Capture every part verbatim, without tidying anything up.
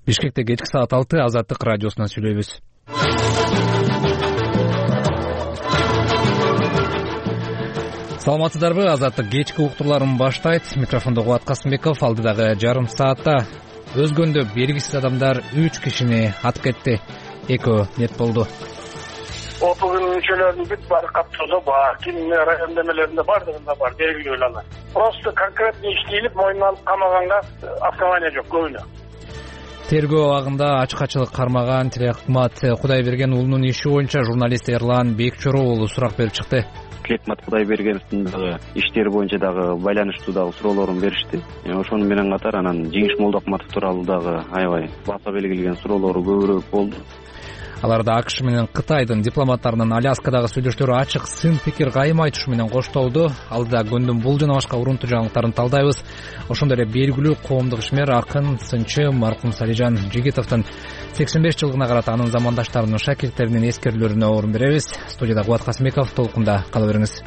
Бишкекте кечки саат алты Азаттык радиосунан сүйлөйбүз. Саламатсыздарбы? Азаттык кечки уктурларын баштайт. Микрофондо Кубат Касымбеков. Алдыдагы жарым саатта өзгөндө белгисиз адамдар үч кишини атып кетти. Экөө нет болду. Отугун мүчөлөрүнүн бүт баары каттоодо бар, ким район демелеринде бардыгында бар, белгилүү эле. Просто конкретный иш тийилип, мойнуна алып камаганга основания жок көбүнө. Тергөө абагында ачык-ачык кармаган Тилекмат Кудайберген уулунун иши боюнча журналист Эрлан Бекчороо уулу сурак берип чыкты. Тилекмат Кудайбергеновдун дагы иштери боюнча дагы байланыштуу дагы суроолорун беришти. Ошону менен катар анан Жеңиш Молдокматов тууралуу дагы аябай баса белгилеген суроолору көбүрөөк болду. Аларда АКШ менен Кытайдын дипломаттарынын Аляскадагы сүйлөштөрү ачык сын пикир кайым айтышы менен коштолду. Алдыда күндүн бул жана башка урунтуу жаңылыктарын талдайбыз. Ошондой эле белгилүү коомдук ишмер, акын, сынчы маркум Салижан Жигитовдун сексен беш жылдыгына карата анын замандаштарынын, шакирттеринин эскерүүлөрүнө орун беребиз. Студияда Кубат Касымбеков, толкунда кала бериңиз.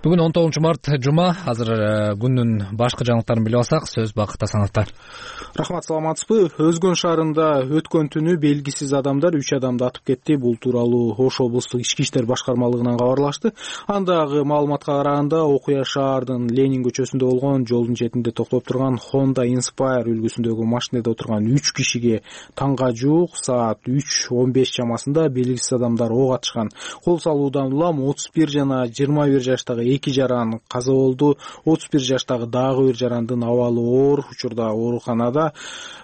Бүгүн он тогузунчу март жума. Азыр күндүн башкы жаңылыктарын билип алсак, сөз Бакыт Асановдо. Рахмат, саламатсызбы? Өзгөн шаарында өткөн түнү белгисиз адамдар үч адамды атып кетти. Бул тууралуу Ош облустук ички иштер башкармалыгынан кабарлашты. Андагы маалыматка караганда, окуя шаардын Ленин көчөсүндө болгон, жолдун четинде токтоп турган Honda Inspire үлгүсүндөгү машинеде отурган үч кишиге таңга жуук саат үч он беш чамасында белгисиз адамдар ок атышкан. Кол салуудан улам отуз бир жана жыйырма бир жаштагы эки жаран каза болду. отуз бир жаштагы дагы бир жарандын абалы оор, учурда ооруканада.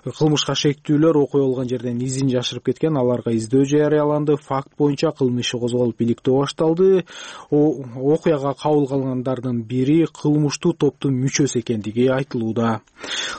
Кылмышка шектүүлөр окуя болгон жерден изин жашырып кеткен. Аларга издөө жарыяланды. Факт боюнча кылмыш иши козголуп, иликтөө башталды. Окуяга кабыл калгандардын бири кылмыштуу топтун мүчөсү экендиги айтылууда.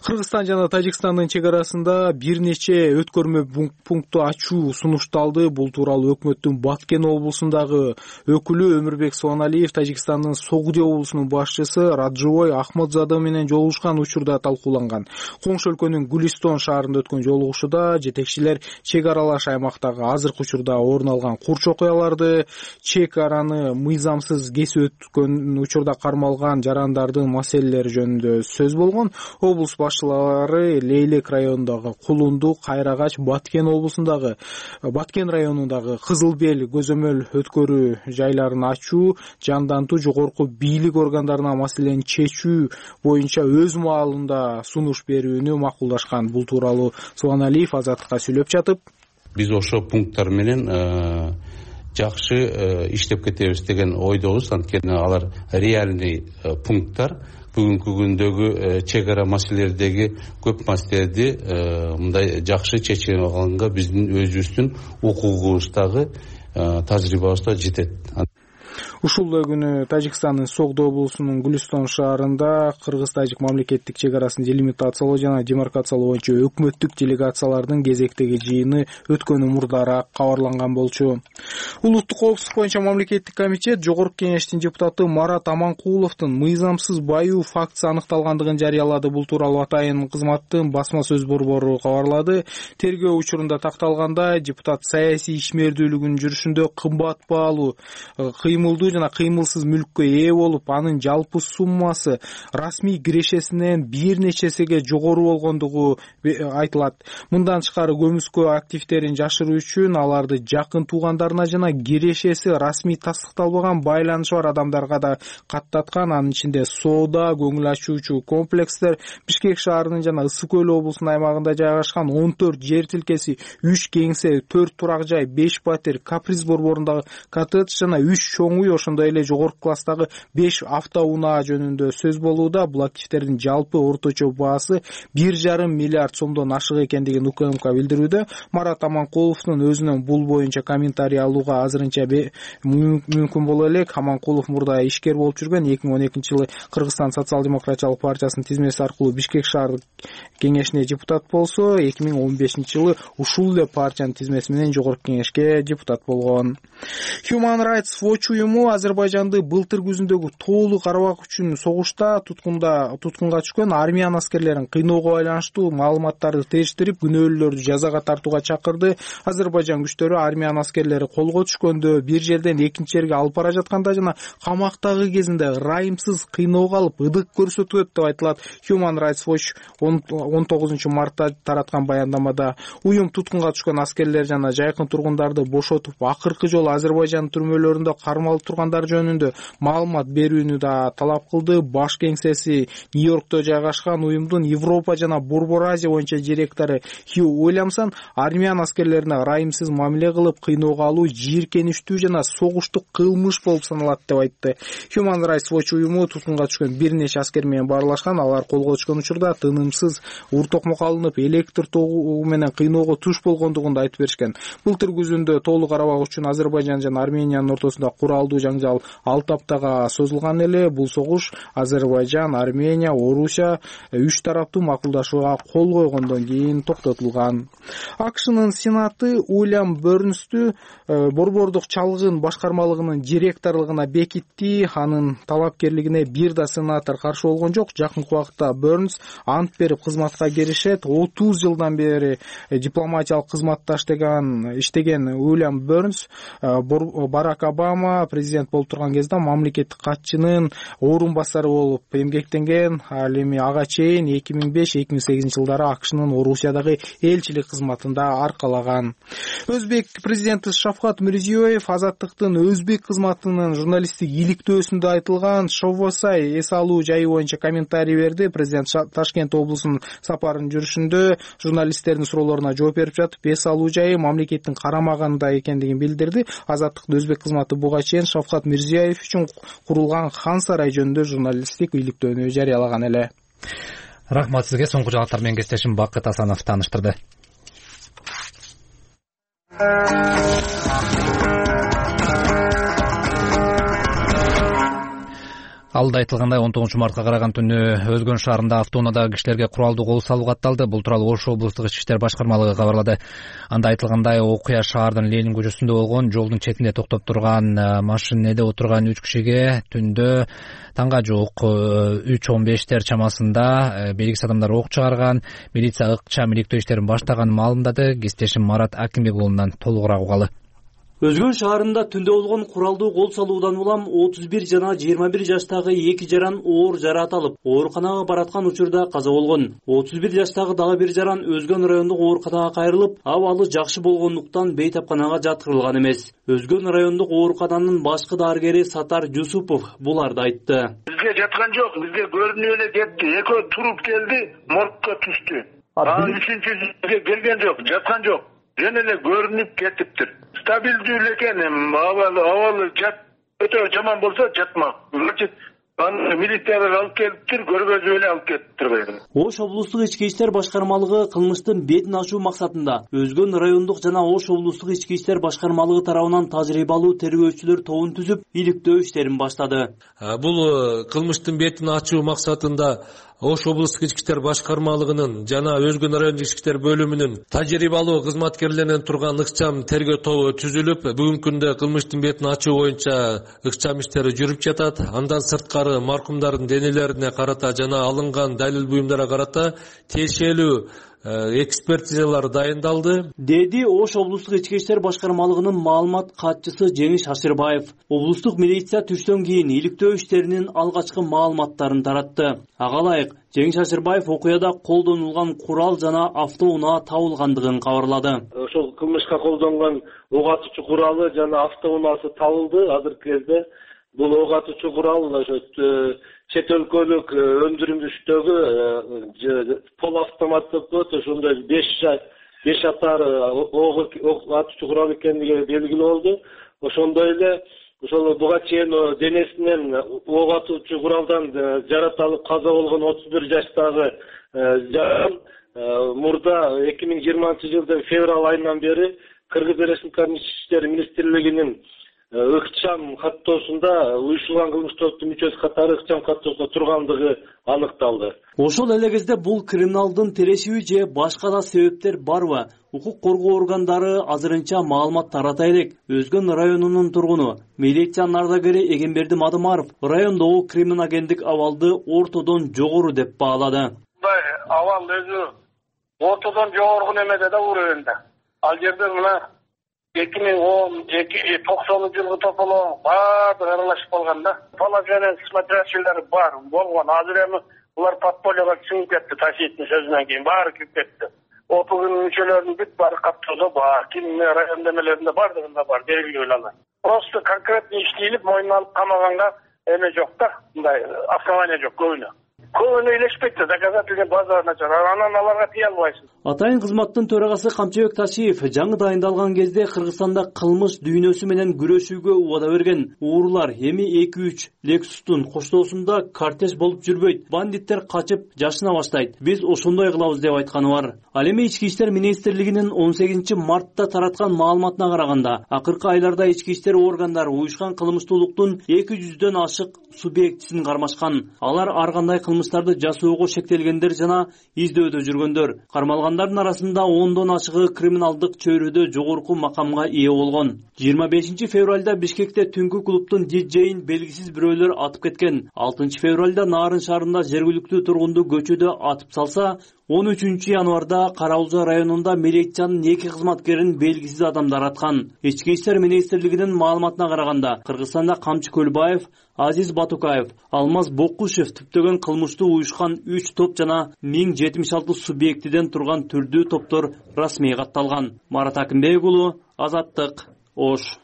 Кыргызстан жана Тажикстандын чек арасында бир нече өткөрмө пункту ачуу сунушталды. Бул тууралуу өкмөттүн Баткен облусундагы өкүлү Өмүрбек Суаналиев Тажикстандын Согуди облусунун башчысы Радживой Ахмадзада менен жолугушкан учурда талкууланган. Коңшу өлкөнүн Гүлистон шаарында өткөн жолугушууда жетекчилер чек аралаш аймактагы азыркы учурда орун алган курч окуяларды, чек араны мыйзамсыз кесип өткөн учурда кармалган жарандардын маселелери жөнүндө сөз болгон. Облус башчылары Лейлек районундагы Кулунду, Кайрагач, Баткен облусундагы Баткен районундагы Кызыл Бел көзөмөл өткөрүү жайларын ачуу, жандантуу жогорку бийлик органдарына маселени чечүү боюнча өз маалында сунуш берүүнү макулдашкан. Бул тууралуу Суаналиев Азаттыкка сүйлөп жатып, биз ошо пункттар менен жакшы иштеп кетебиз деген ойдобуз. Анткени алар реальный пункттар. Бүгүнкү күндөгү чек ара маселелердеги көп маселелерди мындай жакшы чечип алганга биздин өзүбүздүн укугубуздагы тажрыйбабыз да жетет. Ушул күнү Тажикстандын Согдо облусунун Гүлистон шаарында кыргыз-тажик мамлекеттик чек арасын делимитациялоо жана демаркациялоо боюнча өкмөттүк делегациялардын кезектеги жыйыны өткөн мурдараак кабарланган болчу. Улуттук коопсуздук боюнча мамлекеттик комитет Жогорку Кеңештин депутаты Марат Аманкуловдун мыйзамсыз баюу фактысы аныкталгандыгын жарыялады. Бул тууралуу атайын кызматтын басма сөз борбору кабарлады. Тергөө учурунда такталгандай, депутат саясий ишмердүүлүгүнүн жүрүшүндө кымбат баалуу кыймылдуу жана кыймылсыз мүлккө ээ болуп, анын жалпы суммасы расмий кирешесинен бир нечесиге жогору болгондугу айтылат. Мындан тышкары көмүскө активдерин жашыруу үчүн аларды жакын туугандарына жана кирешеси расмий тастыкталбаган байланышы бар адамдарга да каттаткан. Анын ичинде соода, көңүл ачуучу комплекстер, Бишкек шаарынын жана Ысык Көл облусунун аймагында жайгашкан он төрт жер тилкеси, үч кеңсе, төрт турак жай, беш патер, Каприз борборундагы коттедж жана үч чоң үй, ошондой эле жогорку класстагы беш автоунаа жөнүндө сөз болууда. Бул активдердин жалпы орточо баасы бир жарым миллиард сомдон ашык экендигин УКМК билдирүүдө. Марат Аманкуловдун өзүнөн бул боюнча комментарий алууга азырынча мүмкүн боло элек. Аманкулов мурда ишкер болуп жүргөн. эки миң он экинчи жылы Кыргызстан социал-демократиялык партиясынын тизмеси аркылуу Бишкек шаардык кеңешине депутат болсо, эки миң он бешинчи жылы ушул эле партиянын тизмеси менен Жогорку Кеңешке депутат болгон. Human Rights Watch уюму Азербайжанды былтыр күзүндөгү Тоолу Карабак үчүн согушта туткунда туткунга түшкөн армян аскерлерин кыйноого байланыштуу маалыматтарды териштирип, күнөөлүүлөрдү жазага тартууга чакырды. Азербайжан күчтөрү армян аскерлери колго түшкөндө, бир жерден экинчи жерге алып бара жатканда жана камактагы кезинде ырайымсыз кыйноого алып, ыдык көрсөтөт деп айтылат. Human Rights Watch он тогузунчу мартта тараткан баяндамада уюм туткунга түшкөн аскерлер жана жайкын тургундарды бошотуп, акыркы жолу Азербайжан түрмөлөрүндө кармалып тургандар жөнүндө маалымат берүүнү да талап кылды. Баш кеңсеси Нью-Йоркто жайгашкан уюмдун Европа жана Борбор Азия боюнча директору Хью Уильямсон армян аскерлерине ырайымсыз мамиле кылып, кыйноого алуу жийиркеништүү жана согуштук кылмыш болуп саналат деп айтты. Human Rights Watch уюму туткунга түшкөн бир нече аскер менен баарлашкан. Алар колго түшкөн учурда тынымсыз ур токмок алынып, электр тогу менен кыйноого туш болгондугун да айтып беришкен. Былтыр күзүндө Тоолу Карабак үчүн Азербайжан жана Армениянын ортосунда куралдуу жаңжал алты аптага созулган эле. Бул согуш Азербайжан, Армения, Орусия үч тараптуу макулдашууга кол койгондон кийин токтотулган. АКШнын Сенаты Уильям Бернстү борбордук чалгын башкармалыгынын директорлугуна бекитти. Анын талапкерлигине бир да сенатор каршы болгон жок. Жакынкы убакытта Бернс ант берип кызматка киришет. отуз жылдан бери дипломатиялык кызматта иштеген иштеген Уильям Бернс Барак Обама президент болуп турган кезде мамлекеттик катчынын орун басары болуп эмгектенген. Ал эми ага чейин эки миң беш эки миң сегизинчи жылдары АКШнын Орусиядагы элчилик кызматында аркалаган. Өзбек президенти Шавкат Мирзиёев Азаттыктын өзбек кызматынын журналисттик иликтөөсүндө айтылган Шовосай эс алуу жайы боюнча комментарий берди. Президент Ташкент облусунун сапарын жүрүшүндө журналисттердин суроолоруна жооп берип жатып, эс алуу жайы мамлекеттин карамагында экендигин билдирди. Азаттыктын өзбек кызматы буга чейин Шавкат Мирзиёев үчүн курулган Хан сарай жөнүндө журналисттик иликтөөнү жарыялаган эле. Рахмат сизге. Соңку жаңалыктар менен кесиптешим Бакыт Асанов тааныштырды. Алда айтылгандай он тогузунчу мартка караган түнү Өзгөн шаарында автоунаадагы кишилерге куралдуу кол салуу катталды. Бул тууралуу Ош облустук ички иштер башкармалыгы кабарлады. Анда айтылгандай, окуя шаардын Ленин көчөсүндө болгон. Жолдун четинде токтоп турган машинеде отурган үч кишиге түндө таңга жуук үч он бештер чамасында белгисиз адамдар ок чыгарган. Милиция ыкчам иликтөө иштерин баштаганын маалымдады. Кесиптешим Марат Акимбек уулунан толугураак угалы. Өзгөн шаарында түндө болгон куралдуу кол салуудан улам отуз бир жана жыйырма бир жаштагы эки жаран оор жараат алып, ооруканага бараткан учурда каза болгон. отуз бир жаштагы дагы бир жаран Өзгөн райондук ооруканага кайрылып, абалы жакшы болгондуктан бейтапканага жаткырылган эмес. Өзгөн райондук оорукананын башкы дарыгери Сатар Жусупов буларды айтты. Бизге жаткан жок, бизге көрүнүп эле кетти. Экөө туруп келди, моргко түштү. Анан үчүнчүсүгө келген жок, жаткан жок. Жөн эле көрүнүп кетиптир. Стабилдүү эле экен, абалы абалы жат өтө жаман болсо жатмак. Значит, аны милициялар алып келиптир, көргөзүп эле алып кетиптир. Ош облустук ички иштер башкармалыгы кылмыштын бетин ачуу максатында Өзгөн райондук жана Ош облустук ички иштер башкармалыгы тарабынан тажрыйбалуу тергөөчүлөр тобун түзүп, иликтөө иштерин баштады. Бул кылмыштын бетин ачуу максатында Ош облустук ички иштер башкармалыгынын жана Өзгөн райондук ички иштер бөлүмүнүн тажрыйбалуу кызматкерлеринен турган ыкчам тергөө тобу түзүлүп, бүгүнкү күндө кылмыштын бетин ачуу боюнча ыкчам иштери жүрүп жатат. Андан сырткары маркумдардын денелерине карата жана алынган далил буюмдарга карата тиешелүү экспертизалар дайындалды, деди Ош облустук ички иштер башкармалыгынын маалымат катчысы Жеңиш Ашырбаев. Облустук милиция түштөн кийин иликтөө иштеринин алгачкы маалыматтарын таратты. Ага ылайык, Жеңиш Ашырбаев окуяда колдонулган курал жана автоунаа табылгандыгын кабарлады. Ошол кылмышка колдонгон ок атуучу куралы жана автоунаасы табылды. Азыркы кезде бул ок атуучу курал ошо чет өлкөлүк өндүрүштөгү пол автоматтык ошондой беш беш атар ок атуучу курал экендиги белгилүү болду. Ошондой эле ошол буга чейин денесинен ок атуучу куралдан жараат алып каза болгон отуз бир жаштагы жаран мурда эки миң жыйырманчы жылдын февраль айынан бери Кыргыз Республикасынын Ички иштер министрлигинин ыкчам каттоосунда уюшулган кылмыштуу топтун мүчөсү катары ыкчам каттоосунда тургандыгы аныкталды. Ошол эле кезде бул криминалдын терешиби же башка да себептер барбы? Укук коргоо органдары азырынча маалымат тарата элек. Өзгөн районунун тургуну милициянын ардагери Эгемберди Мадымаров райондогу криминогендик абалды ортодон жогору деп баалады. Мындай абал өзү ортодон жогору немеде да уровенде. Ал жерде мына эки миң он токсонунчу жылгы тополоо баардыгы аралашып калган да. Положение смотрящийлери бар болгон. Азыр эми булар подпольега чыгып кетти, Ташиевдин сөзүнөн кийин баары кирип кетти. Опугун мүчөлөрүнүн бүт баары каптоодо бар, ким район демелеринде бардыгында бар, белгилүү эле. Просто конкретно иштелип, мойнуна алып камаганга эме жок да, мындай основания жок көбүнө. Көбүнө илешпейт да, доказательный база начар, анан аларга тие албайсың. Атайын кызматтын төрагасы Камчыбек Ташиев жаңы дайындалган кезде Кыргызстанда кылмыш дүйнөсү менен күрөшүүгө убада берген. Уурулар эми эки үч Lexustун коштоосунда кортеж болуп жүрбөйт. Бандиттер качып жашына баштайт. Биз ошондой кылабыз деп айтканы бар. Ал эми Ички иштер министрлигинин он сегизинчи мартта тараткан маалыматына караганда, акыркы айларда ички иштер органдары уюшкан кылмыштуулуктун эки жүздөн ашык субъектисин кармашкан. Алар ар кандай кылмыштарды жасоого шектелгендер жана издөөдө жүргөндөр. Кармалгандардын арасында ондон ашыгы криминалдык чөйрөдө жогорку макамга ээ болгон. жыйырма бешинчи февралда Бишкекте түнкү клубтун диджейин белгисиз бирөөлөр атып кеткен. алтынчы февралда Нарын шаарында жергиликтүү тургунду көчөдө атып салса, он үчүнчү январда Кара Улжа районунда милициянын эки кызматкерин белгисиз адамдар аткан. Ички иштер министрлигинин маалыматына караганда, Кыргызстанда Камчы Көлбаев, Азиз Батукаев, Алмаз Бокушев түптөгөн кылмыштуу уюшкан үч топ жана миң жетимиш алты субъектиден турган түрдүү топтор расмий катталган. Марат Акимбек уулу, Азаттык, Ош.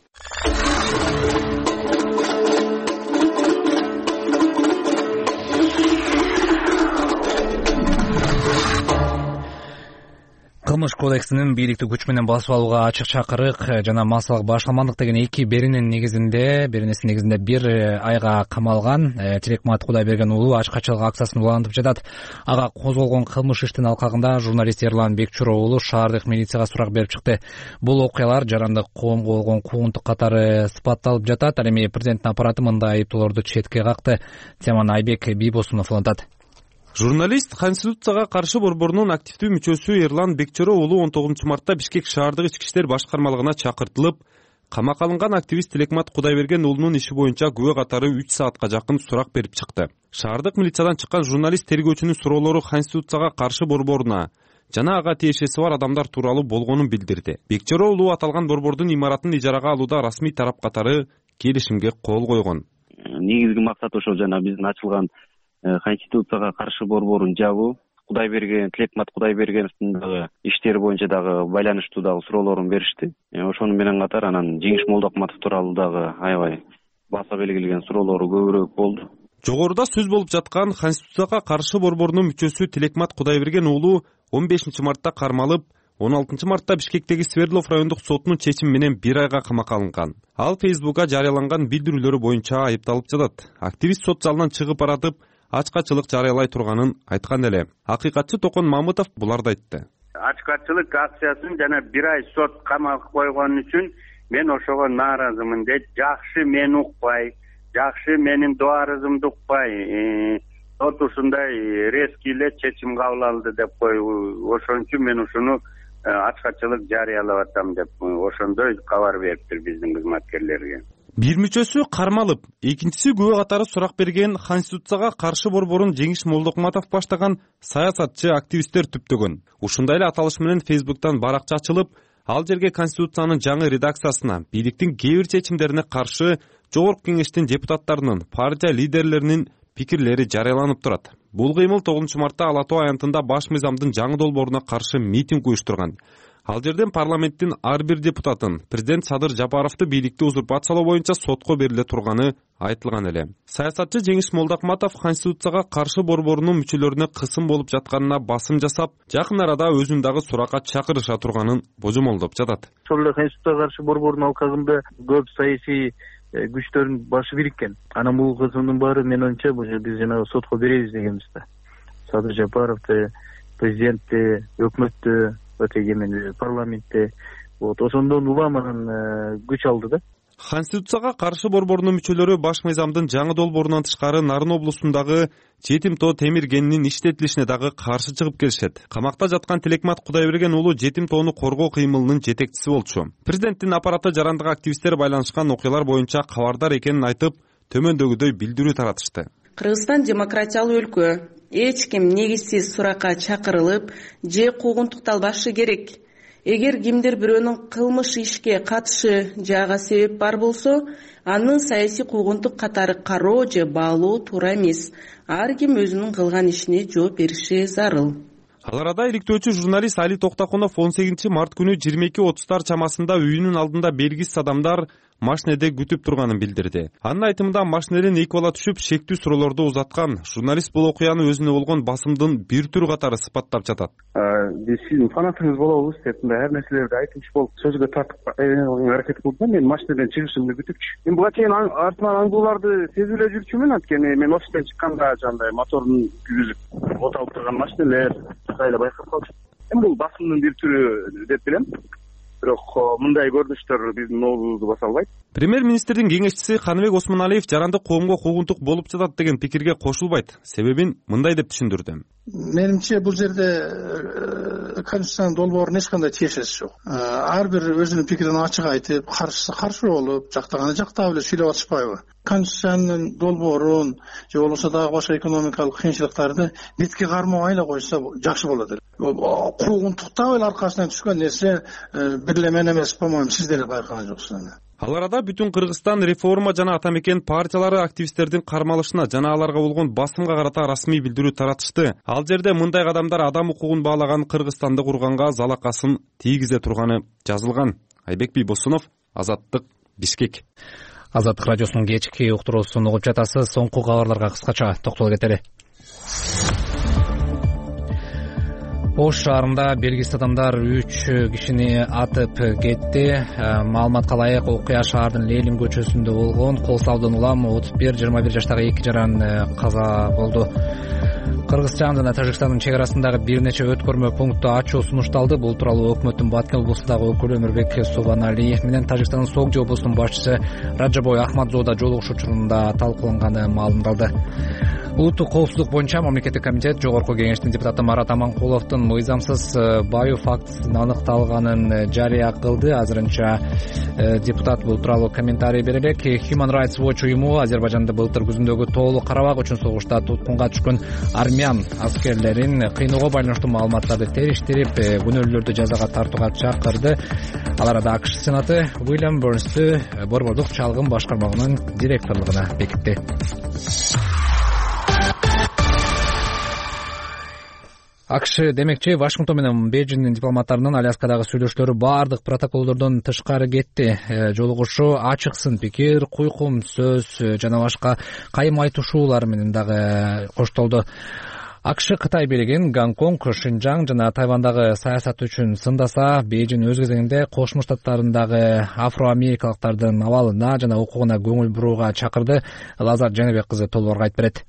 Кылмыш кодексинин бийликти күч менен басып алууга ачык чакырык жана массалык башкармандык деген эки беренин негизинде беренесинин негизинде бир айга камалган Тилекмат Кудайберген уулу ачкачылык акциясын улантып жатат. Ага козголгон кылмыш иштин алкагында журналист Эрлан Бекчуров уулу шаардык милицияга сурак берип чыкты. Бул окуялар жарандык коомго болгон куугунтук катары сыпатталып жатат. Ал эми президенттин аппараты мындай айыптоолорду четке какты. Теманы Айбек Бийбосунов улантат. Журналист Конституцияга каршы борборунун активдүү мүчөсү Эрлан Бекчуров уулу он тогузунчу мартта Бишкек шаардык ички иштер башкармалыгына чакыртылып, камакка алынган активист Тилекмат Кудайберген уулунун иши боюнча күбө катары үч саатка жакын сурак берип чыкты. Шаардык милициядан чыккан журналист тергөөчүнүн суроолору Конституцияга каршы борборуна жана ага тиешеси бар адамдар тууралуу болгонун билдирди. Бекчуров уулу аталган борбордун имаратын ижарага алууда расмий тарап катары келишимге кол койгон. Негизги максат ошол жана биздин ачылган Конституцияга каршы борборун жабуу, Кудайберген, Тилекмат Кудайбергеновдун дагы иштери боюнча дагы байланыштуу дагы суроолорун беришти. Ошону менен катар анан Жеңиш Молдокматов тууралуу дагы аябай баса белгилеген суроолору көбүрөөк болду. Жогоруда сөз болуп жаткан Конституцияга каршы борборунун мүчөсү Тилекмат Кудайберген уулу он бешинчи мартта кармалып, он алтынчы мартта Бишкектеги Свердлов райондук сотунун чечими менен бир айга камакка алынган. Ал Фейсбукка жарыяланган билдирүүлөрү боюнча айыпталып жатат. Активист сот залынан чыгып баратып, ачкачылык жарыялай турганын айткан эле. Акыйкатчы Токон Мамытов буларды айтты. Ачкачылык акциясын жана бир ай сот камакка койгон үчүн мен ошого нааразымын дейт. Жакшы мени укпай, жакшы менин дуарызымды укпай, сот ушундай резкий эле чечим кабыл алды деп кой. Ошон үчүн мен ушуну ачкачылык жарыялап атам деп ошондой кабар бериптир биздин кызматкерлерге. Бир мүчөсү кармалып, экинчиси күбө катары сурак берген Конституцияга каршы борборун Жеңиш Молдокматов баштаган саясатчы активисттер түптөгөн. Ушундай эле аталыш менен Фейсбуктан баракча ачылып, ал жерге Конституциянын жаңы редакциясына, бийликтин кээ бир чечимдерине каршы жогорку кеңештин депутаттарынын, партия лидерлеринин пикирлери жарыяланып турат. Бул кыймыл тогузунчу мартта Ала Тоо аянтында баш мыйзамдын жаңы долбооруна каршы митинг уюштурган. Ал жерден парламенттин ар бир депутатын президент Садыр Жапаровду бийликти узурпациялоо боюнча сотко бериле турганы айтылган эле. Саясатчы Жеңиш Молдокматов Конституцияга каршы борборунун мүчөлөрүнө кысым болуп жатканына басым жасап, жакын арада өзүн дагы суракка чакырыша турганын божомолдоп жатат. Ошол эле Конституцияга каршы борбордун алкагында көп саясий күчтөрдүн башы бириккен. Анан бул кысымдын баары менин оюмча биз жанагы сотко беребиз дегенбиз да. Садыр Жапаровду, президентти, өкмөттү, өтөгемен парламентте вот ошондон улам анан күч алды да. Конституцияга каршы борборунун мүчөлөрү баш мыйзамдын жаңы долбоорунан тышкары Нарын облусундагы Жетим тоо темир кенинин иштетилишине дагы каршы чыгып келишет. Камакта жаткан Тилекмат Кудайберген уулу жетим тоону коргоо кыймылынын жетекчиси болчу. Президенттин аппараты жарандык активисттер байланышкан окуялар боюнча кабардар экенин айтып, төмөндөгүдөй билдирүү таратышты. Кыргызстан демократиялуу өлкө. Эч ким негизсиз суракка чакырылып же куугунтукталбашы керек. Эгер кимдир бирөөнүн кылмыш ишке катышы жага себеп бар болсо, аны саясий куугунтук катары кароо же баалоо туура эмес. Ар ким өзүнүн кылган ишине жооп бериши зарыл. Ал арада иликтөөчү журналист Али Токтокунов он сегизинчи март күнү жыйырма эки отуздар чамасында үйүнүн алдында белгисиз адамдар машинеде күтүп турганын билдирди. Анын айтымында машинеден эки бала түшүп шектүү суроолорду узаткан. Журналист бул окуяны өзүнө болгон басымдын бир түрү катары сыпаттап жатат. Биз сиздин фанатыңыз болобуз деп ар нерселерди айтымчы болуп сөзгө тартып аракет кылдым. Мен машинеден чыгышымды күтүпчү. Мен буга чейин артынан аңдууларды сезип эле жүрчүмүн. Анткени мен офистен чыкканда жандай моторун күйгүзүп оталып турган машинелер эле байкап калчу. Эми бул басымдын бир түрү деп билем. Бирок мындай көрүнүштөр биздин нообузду баса албайт. Премьер-министрдин кеңешчиси Каныбек Осмоналиев жарандык коомго куугунтук болуп жатат деген пикирге кошулбайт. Себебин мындай деп түшүндүрдү. Менимче бул жерде Конституциянын долбоорунун эч кандай тиешеси жок. Ар бир өзүнүн пикирин ачык айтып, каршысы каршы болуп, жактаганы жактап эле сүйлөп атышпайбы? Конституциянын долбоорун же болбосо дагы башка экономикалык кыйынчылыктарды бетке кармабай эле койсо жакшы болот эле. Куугунтуктап эле аркасынан түшкөн нерсе бир эле мен эмес, по-моему, сиздер эле байкаган жоксуңар. Ал арада бүтүн Кыргызстан реформа жана атамекен партиялары активисттердин кармалышына жана аларга болгон басымга карата расмий билдирүү таратышты. Ал жерде мындай кадамдар адам укугун баалаган Кыргызстанды курганга залакасын тийгизе турганы жазылган. Айбек Бийбосунов, Азаттык, Бишкек. Азаттык радиосунун кечки уктуруусун угуп жатасыз. Соңку кабарларга кыскача токтолуп кетели. Ош шаарында белгисиз адамдар үч кишини атып кетти. Маалыматка ылайык, окуя шаардын Ленин көчөсүндө болгон. Кол салуудан улам отуз бир жыйырма бир жаштагы эки жаран каза болду. Кыргызстан жана Тажикстандын чек арасындагы бир нече өткөрмө пункту ачуу сунушталды. Бул тууралуу өкмөттүн Баткен облусундагы өкүлү Өмүрбек Субаналиев менен Тажикстандын Согди облусунун башчысы Раджабой Ахмадзода жолугушуу учурунда талкууланганы маалымдалды. Улуттук коопсуздук боюнча мамлекеттик комитет Жогорку кеңештин депутаты Марат Аманкуловдун мыйзамсыз баю фактысынын аныкталганын жарыя кылды. Азырынча депутат бул тууралуу комментарий бере элек. Human Rights Watch уюму Азербайжанда былтыр күзүндөгү тоолуу карабак үчүн согушта туткунга түшкөн армян аскерлерин кыйноого байланыштуу маалыматтарды териштирип, күнөөлүүлөрдү жазага тартууга чакырды. Ал арада АКШ Сенаты Уильям Бернстү борбордук чалгын башкармалыгынын директорлугуна бекитти. АКШ демекчи Вашингтон менен Бейжиңдин дипломаттарынын Аляскадагы сүйлөшүүлөрү баардык протоколдордон тышкары кетти. Жолугушуу ачык сын пикир, куйкум сөз жана башка кайым айтышуулар менен дагы коштолду. АКШ Кытай бийлигин Гонконг, Шинжаң жана Тайвандагы саясат үчүн сындаса, Бейжиң өз кезегинде Кошмо Штаттарындагы афро-америкалыктардын абалына жана укугуна көңүл бурууга чакырды. Лазар Жаныбек кызы толугураак айтып берет.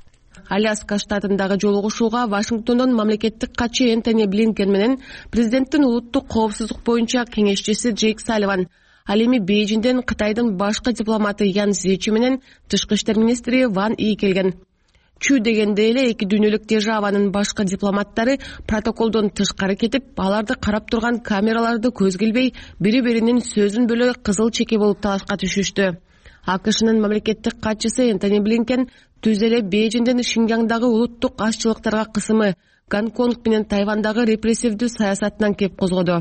Аляска штатындагы жолугушууга Вашингтондон мамлекеттик катчы Энтони Блинкен менен президенттин улуттук коопсуздук боюнча кеңешчиси Джейк Салливан, ал эми Бейжиңден Кытайдын башкы дипломаты Ян Зечи менен тышкы иштер министри Ван И келген. Чү дегенде эле эки дүйнөлүк державанын башкы дипломаттары протоколдон тышкары кетип, аларды карап турган камераларды көзгө илбей, бири-биринин сөзүн бөлө кызыл чеке болуп талашка түшүштү. АКШнын мамлекеттик катчысы Энтони Блинкен түз эле Бейжиңдин Шинжаңдагы улуттук азчылыктарга кысымы, Гонконг менен Тайвандагы репрессивдүү саясатынан кеп козгоду.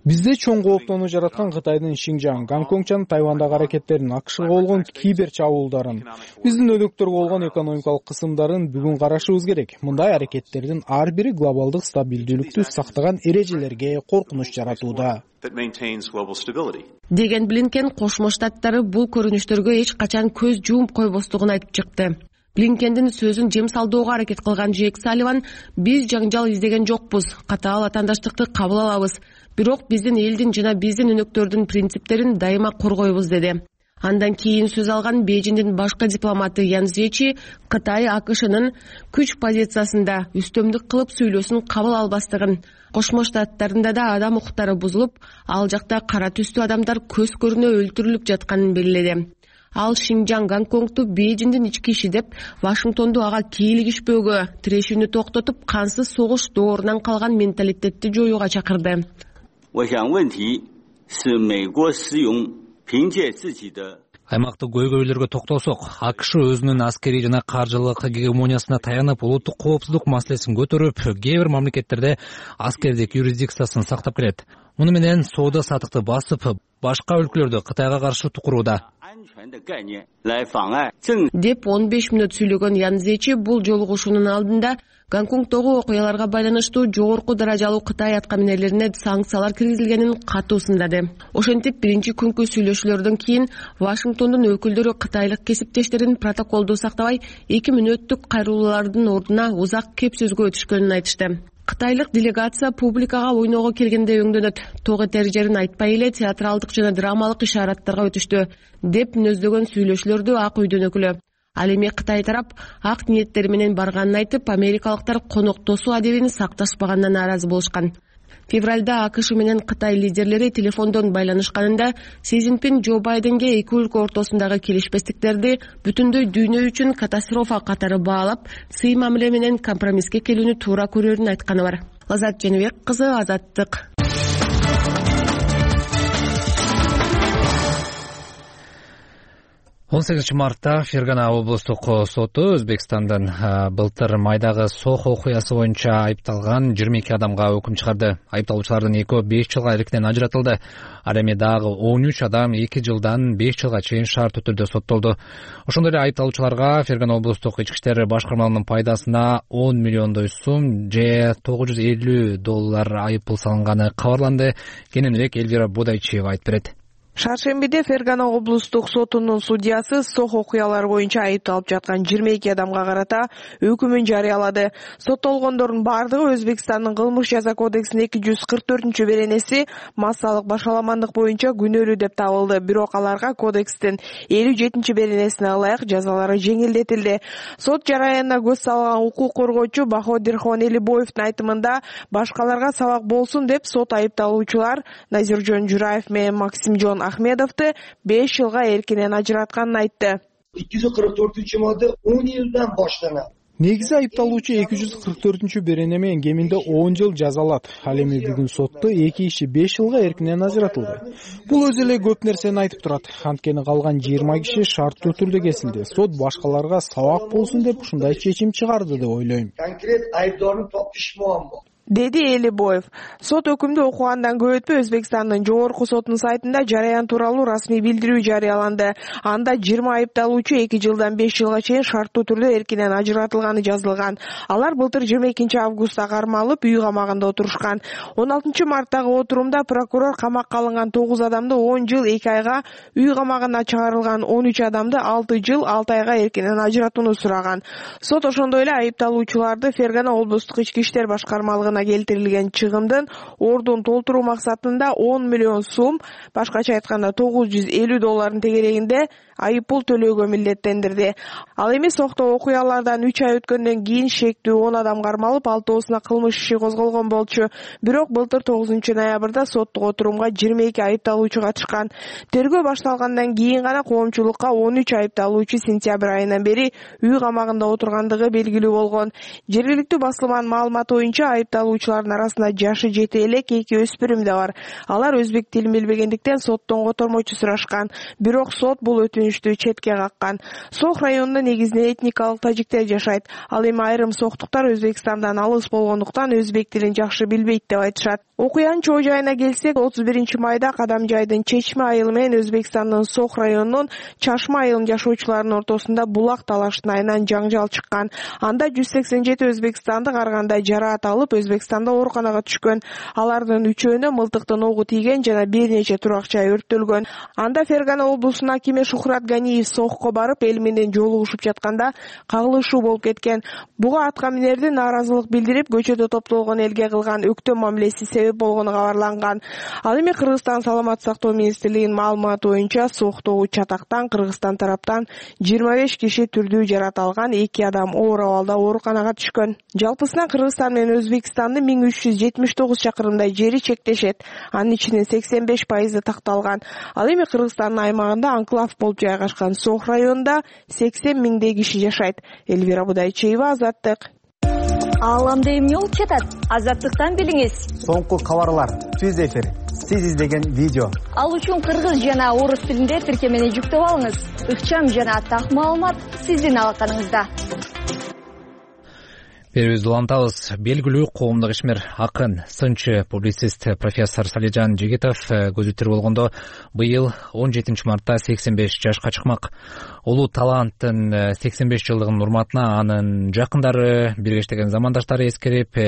Бизде чоң кооптонуу жараткан Кытайдын Шинжаң, Гонконг жана Тайвандагы аракеттерин, АКШга болгон кибер чабуулдарын, биздин өлкөлөргө болгон экономикалык кысымдарын бүгүн карашыбыз керек. Мындай аракеттердин ар бири глобалдык стабилдүүлүктү сактаган эрежелерге коркунуч жаратууда. Деген Блинкен Кошмо Штаттары бул көрүнүштөргө эч качан көз жууп койбостугун айтып чыкты. Блинкендин сөзүн жем салдоого аракет кылган Джейк Салливан: "Биз жаңжал издеген жокпуз, катаал атаандаштыкты кабыл алабыз. Бирок биздин элдин жана биздин өнөктөрдүн принциптерин дайыма коргойбуз" деди. Андан кийин сөз алган Бейжиңдин башкы дипломаты Ян Зечи Кытай АКШнын күч позициясында үстөмдүк кылып сүйлөсүн кабыл албастыгын, Кошмо Штаттарында да адам укуктары бузулуп, ал жакта кара түстүү адамдар көз көрүнө өлтүрүлүп жатканын белгиледи. Ал Шинжаң Гонконгду Бейжиңдин ички иши деп, Вашингтонду ага кийлигишпөөгө, тирешүүнү токтотуп, кансыз согуш доорунан калган менталитетти жоюуга чакырды. Аймактык көйгөйлөргө токтолсок, АКШ өзүнүн аскерий жана каржылык гегемониясына таянып, улуттук коопсуздук маселесин көтөрүп, кээ бир мамлекеттерде аскердик юрисдикциясын сактап келет. Муну менен соода сатыкты басып, башка өлкөлөрдө Кытайга каршы тукурууда. Деп он беш мүнөт сүйлөгөн Ян Зечи бул жолугушуунун алдында Гонконгдогу окуяларга байланыштуу жогорку даражалуу Кытай аткаминерлерине санкциялар киргизилгенин катуу сындады. Ошентип, биринчи күнкү сүйлөшүүлөрдөн кийин Вашингтондун өкүлдөрү кытайлык кесиптештерин протоколду сактабай, эки мүнөттүк кайрылуулардын ордуна узак кеп сөзгө өтүшкөнүн айтышты. Кытайлык делегация публикага ойноого келгенде өңдөнөт, ток этер жерин айтпай эле театралдык жана драмалык ишараттарга өтүштү, деп мүнөздөгөн сүйлөшүүлөрдү Ак үйдүн өкүлү. Ал эми Кытай тарап ак ниеттери менен барганын айтып, америкалыктар коноктосуу адебин сакташпаганына нааразы болушкан. Февралда АКШ менен Кытай лидерлери телефондон байланышканында Си Цзиньпин Джо Байденге эки өлкө ортосундагы келишпестиктерди бүтүндөй дүйнө үчүн катастрофа катары баалап, сый мамиле менен компромисске келүүнү туура көрөрүн айтканы бар. Лазат Женебек кызы, Азаттык. он сегизинчи мартта Фергана облустук соту Өзбекстандын былтыр майдагы Сох окуясы боюнча айыпталган жыйырма эки адамга өкүм чыгарды. Айыпталуучулардын экөө беш жылга эркинен ажыратылды. Ал эми дагы он үч адам эки жылдан беш жылга чейин шартуу түрдө соттолду. Ошондой эле айыпталуучуларга Фергана облустук ички иштер башкармалыгынын пайдасына он миллиондой сум же тогуз жүз элүү доллар айыппул салынганы кабарланды. Кененирээк Элвира Бодайчиева айтып берет. Шаршембиде Фергана облустук сотунун судьясы Сох окуялары боюнча айыпталып жаткан жыйырма эки адамга карата өкүмүн жарыялады. Соттолгондордун бардыгы Өзбекстандын кылмыш жаза кодексинин эки жүз кырк төртүнчү беренеси массалык башаламандык боюнча күнөөлүү деп табылды. Бирок аларга кодекстин элүү жетинчи беренесине ылайык жазалары жеңилдетилди. Сот жараянына көз салган укук коргоочу Баходирхон Элибоевдин айтымында башкаларга сабак болсун деп сот айыпталуучулар Назиржон Жураев менен Максимжон Ахмедовду беш жылга эркинен ажыратканын айтты. эки жүз кырк төртүнчү модда он жылдан баштанат. Негизи айыпталуучу эки жүз кырк төртүнчү берене менен кеминде он жыл жазалат. Ал эми бүгүн сотто эки иши беш жылга эркинен ажыратылды. Бул өзү эле көп нерсени айтып турат. Анткени калган жыйырма киши шарттуу түрдө кесилди. Сот башкаларга сабак болсун деп ушундай чечим чыгарды деп ойлойм. Конкрет айыптоонун топушмаган болду, деди Элибоев. Сот өкүмдү окугандан көп өтпөй Өзбекстандын жогорку сотунун сайтында жараян тууралуу расмий билдирүү жарыяланды. Анда жыйырма айыпталуучу эки жылдан беш жылга чейин шарттуу түрдө эркинен ажыратылганы жазылган. Алар былтыр жыйырма экинчи августта кармалып, үй камагында отурушкан. он алтынчы марттагы отурумда прокурор камакка алынган тогуз адамды он жыл эки айга, үй камагына чыгарылган он үч адамды алты жыл алты айга эркинен ажыратууну сураган. Сот ошондой эле айыпталуучуларды Фергана облустук ички иштер башкармалыгына келтирилген чыгымдын ордун толтуруу максатында он миллион сум, башкача айтканда тогуз жүз элүү доллардын тегерегинде айыппул төлөөгө милдеттендирди. Ал эми Сохто окуялардан үч ай өткөндөн кийин шектүү он адам кармалып, алтоосуна кылмыш иши козголгон болчу. Бирок былтыр тогузунчу ноябрда соттук отурумга жыйырма эки айыпталуучу катышкан. Тергөө башталгандан кийин гана коомчулукка он үч айыпталуучу сентябрь айынан бери үй камагында отургандыгы белгилүү болгон. Жергиликтүү басылманын маалыматы боюнча айыпталуучулардын арасында жашы жете элек эки өспүрүм да бар. Алар өзбек тилин билбегендиктен соттон котормочу сурашкан. Бирок сот бул өтүнүштү четке каккан. Сох районунда негизинен этникалык тажиктер жашайт. Ал эми айрым соктуктар Өзбекстандан алыс болгондуктан өзбек тилин жакшы билбейт деп айтышат. Окуянын чоо жайына келсек, отуз биринчи майда Кадамжайдын Чечме айылы менен Өзбекстандын Сох районунун Чашма айылынын жашоочуларынын ортосунда булак талаштын айынан жаңжал чыккан. Анда жүз сексен жети өзбекстандык ар кандай жараат алып, Өзбек Өзбекстанда ооруканага түшкөн. Алардын үчөөнө мылтыктын огу тийген жана бир нече турак жай өрттөлгөн. Анда Фергана облусунун акими Шухрат Ганиев сокко барып, эл менен жолугушуп жатканда кагылышуу болуп кеткен. Буга атка минердин нааразылык билдирип, көчөдө топтолгон элге кылган өктөм мамилеси себеп болгону кабарланган. Ал эми Кыргызстан саламаттык сактоо министрлигинин маалыматы боюнча соктогу чатактан Кыргызстан тараптан жыйырма беш киши түрдүү жарат алган, эки адам оор абалда ооруканага түшкөн. Жалпысынан Кыргызстан менен Өзбекстандын миң үч жүз жетимиш тогуз чакырымдай жери чектешет. Анын ичинен сексен беш пайызы такталган. Ал эми Кыргызстандын аймагында анклав болуп жайгашкан Сох районунда сексен миңдей киши жашайт. Элвира Будайчиева, Азаттык. Ааламда эмне болуп жатат? Азаттыктан билиңиз. Соңку кабарлар, түз эфир, сиз издеген видео. Ал үчүн кыргыз жана орус тилинде тиркемени жүктөп алыңыз. Ыкчам жана так маалымат сиздин алаканыңызда. Берүүбүздү улантабыз. Белгилүү коомдук ишмер, акын, сынчы, публицист профессор Салижан Жигитов көзү тирүү болгондо быйыл он жетинчи мартта сексен беш жашка чыкмак. Улуу таланттын сексен беш жылдыгынын урматына анын жакындары, биргештеген замандаштары эскерип,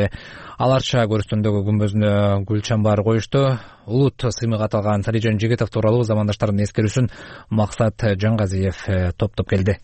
аларча көрүстөндөгү күмбөзүнө гүл чамбар коюшту. Улут сыймык аталган Салижан Жигитов тууралуу замандаштардын эскерүүсүн Максат Жангазиев топтоп келди.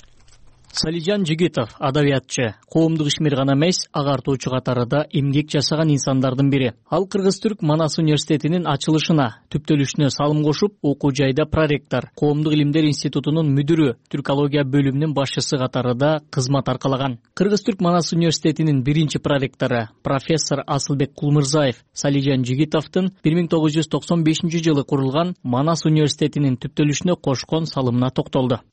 Салижан Жигитов адабиятчы, коомдук ишмер гана эмес, агартуучу катарында эмгек жасаган инсандардын бири. Ал Кыргыз-Түрк Манас университетинин ачылышына, түптөлүшүнө салым кошуп, окуу жайда проректор, коомдук илимдер институтунун мүдүрү, түркология бөлүмүнүн башчысы катарында кызмат аркалаган. Кыргыз-Түрк Манас университетинин биринчи проректору, профессор Асылбек Кулмырзаев Салижан Жигитовдун бир миң тогуз жүз токсон бешинчи жылы курулган Манас университетинин түптөлүшүнө кошкон салымына токтолду.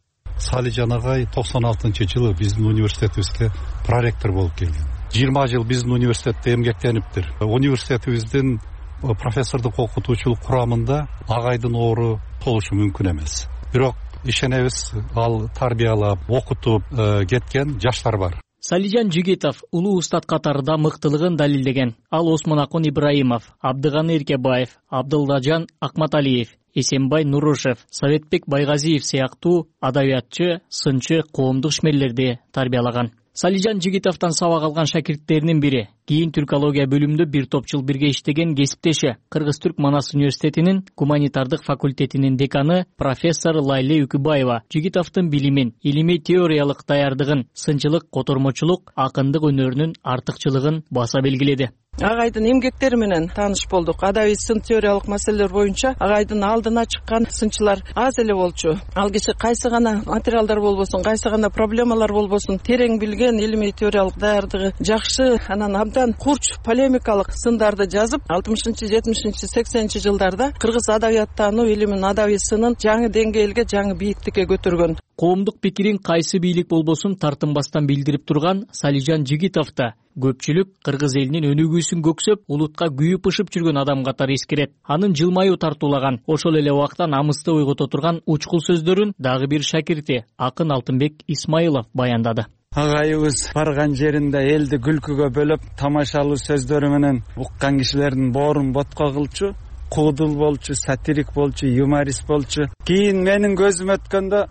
Салижан агай токсон алтынчы жылы биздин университетибизде проректор болуп келген. жыйырма жыл биздин университетте эмгектениптир. Университетибиздин профессордук окутуучулук курамында агайдын ору болушу мүмкүн эмес. Бирок ишенебиз, ал тарбиялап, окутуп кеткен жаштар бар. Салижан Жигитов улуу устат катарында мыктылыгын далилдеген. Ал Осмонакун Ибраимов, Абдыганы Эркебаев, Абдылдажан Акматалиев, Эсенбай Нурушев, Советбек Байгазиев сыяктуу адабиятчы, сынчы, коомдук ишмерлерди тарбиялаган. Салижан Жигитовдон сабак алган шакирттеринин бири. Кийин түркология бөлүмүндө бир топ жыл бирге иштеген кесиптеши, Кыргыз-Түрк Манас университетинин гуманитардык факультетинин деканы профессор Лайле Үкүбаева Жигитовдун билимин, илимий теориялык даярдыгын, сынчылык, котормочулук, акындык өнөрүнүн артыкчылыгын баса белгиледи. Агайдын эмгектери менен тааныш болдук. Адабий сын теориялык маселелер боюнча агайдын алдына чыккан сынчылар аз эле болчу. Ал киши кайсы гана материалдар болбосун, кайсы гана проблемалар болбосун, терең билген, илимий теориялык даярдыгы жакшы, анан абдан курч полемикалык сындарды жазып, алтымышынчы, жетимишинчи, сексенинчи жылдарда кыргыз адабияттануу илимин, адабий сынын жаңы деңгээлге, жаңы бийиктикке көтөргөн. Коомдук пикирин кайсы бийлик болбосун тартынбастан билдирип турган Салижан Жигитовда көпчүлүк кыргыз элинин өнүгүүсүн көксөп, улутка күйүп ышып жүргөн адам катары эскерет. Анын жылмаюу тартуулаган, ошол эле убакта намысты ойгото турган учкул сөздөрүн дагы бир шакирти акын Алтынбек Исмаилов баяндады. Агайыбыз барган жеринде элди күлкүгө бөлөп, тамашалуу сөздөрү менен уккан кишилердин боорун ботко кылчу, куудул болчу, сатирик болчу, юморист болчу. Кийин менин көзүм өткөндө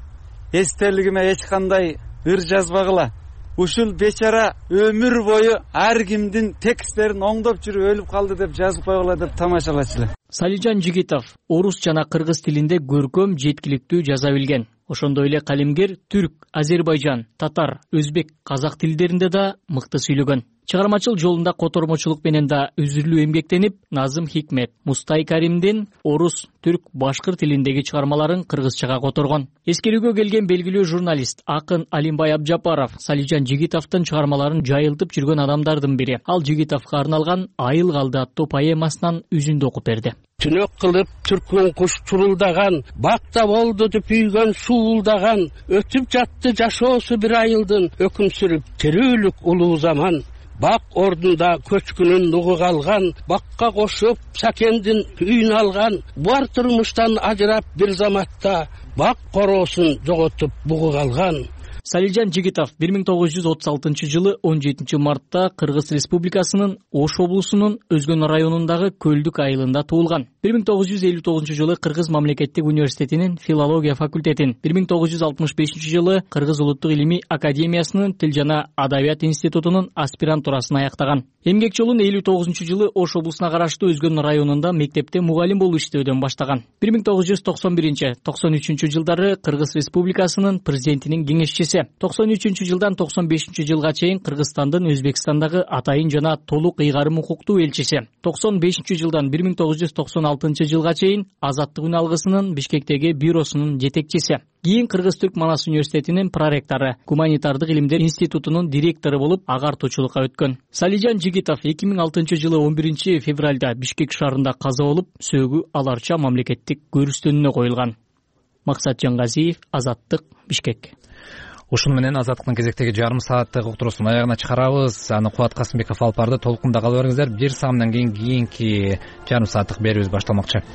эстелигиме эч кандай ыр жазбагыла. Ушул бечара өмүр бою ар кимдин тексттерин оңдоп жүрүп өлүп калды деп жазып койгула деп тамашалачылар. Салижан Жигитов орус жана кыргыз тилинде көркөм, жеткиликтүү жаза билген. Ошондой эле калемгер түрк, азербайжан, татар, өзбек, казак тилдеринде да мыкты сүйлөгөн. Чыгармачыл жолунда котормочулук менен да үзүрлүү эмгектенип, Назым Хикмет, Мустай Каримдин орус, түрк, башкыр тилиндеги чыгармаларын кыргызчага которгон. Эскерүүгө келген белгилүү журналист акын Алимбай Абжапаров Салижан Жигитовдун чыгармаларын жайылтып жүргөн адамдардын бири. Ал Жигитовго арналган Айыл калды аттуу поэмасынан үзүндү окуп берди. Түнөк кылып түркмөн куш чурулдаган, бакта болду деп үйгөн суулдаган, өтүп жатты жашоосу бир айылдын, өкүм сүрүп терүүлүк улуу заман. Бак ордунда көчкүнүн нугу калган, бакка кошуп сакендин үйүн алган, бар турмуштан ажырап бир заматта, бак короосун жоготуп бугу калган. Салижан Жигитов бир миң тогуз жүз отуз алтынчы жылы он жетинчи мартта Кыргыз Республикасынын Ош облусунун Өзгөн районундагы Көлдүк айылында туулган. бир миң тогуз жүз элүү тогузунчу жылы Кыргыз мамлекеттик университетинин филология факультетин, бир миң тогуз жүз алтымыш бешинчи жылы Кыргыз улуттук илимий академиясынын Тил жана адабият институтунун аспирантурасын аяктаган. Эмгек жолун элүү тогузунчу жылы Ош облусуна караштуу Өзгөн районунда мектепте мугалим болуп иштөөдөн баштаган. бир миң тогуз жүз токсон биринчи токсон үчүнчү жылдары Кыргыз Республикасынын президентинин кеңешчиси, токсон үчүнчү жылдан токсон бешинчи жылга чейин Кыргызстандын Өзбекстандагы атайын жана толук ыйгарым укуктуу элчиси, токсон бешинчи жылдан бир миң тогуз жүз токсон алтынчы жылга чейин Азаттык үн алгысынын Бишкектеги бюросунун жетекчиси. Кийин Кыргыз-Түрк Манас университетинин проректору, гуманитардык илимдер институтунун директору болуп агартуучулукка өткөн. Салижан Жигитов эки миң алтынчы жылы он биринчи февралда Бишкек шаарында каза болуп, сөөгү аларча мамлекеттик көрүстөнүнө коюлган. Максат Жангазиев, Азаттык, Бишкек. Ушуну менен Азаттыктын кезектеги жарым сааттык уктуруусун аягына чыгарабыз. Аны Кубат Касымбеков алып барды. Толкунда кала бериңиздер. Бир саамдан кийин кийинки жарым сааттык берүүбүз башталмакчы.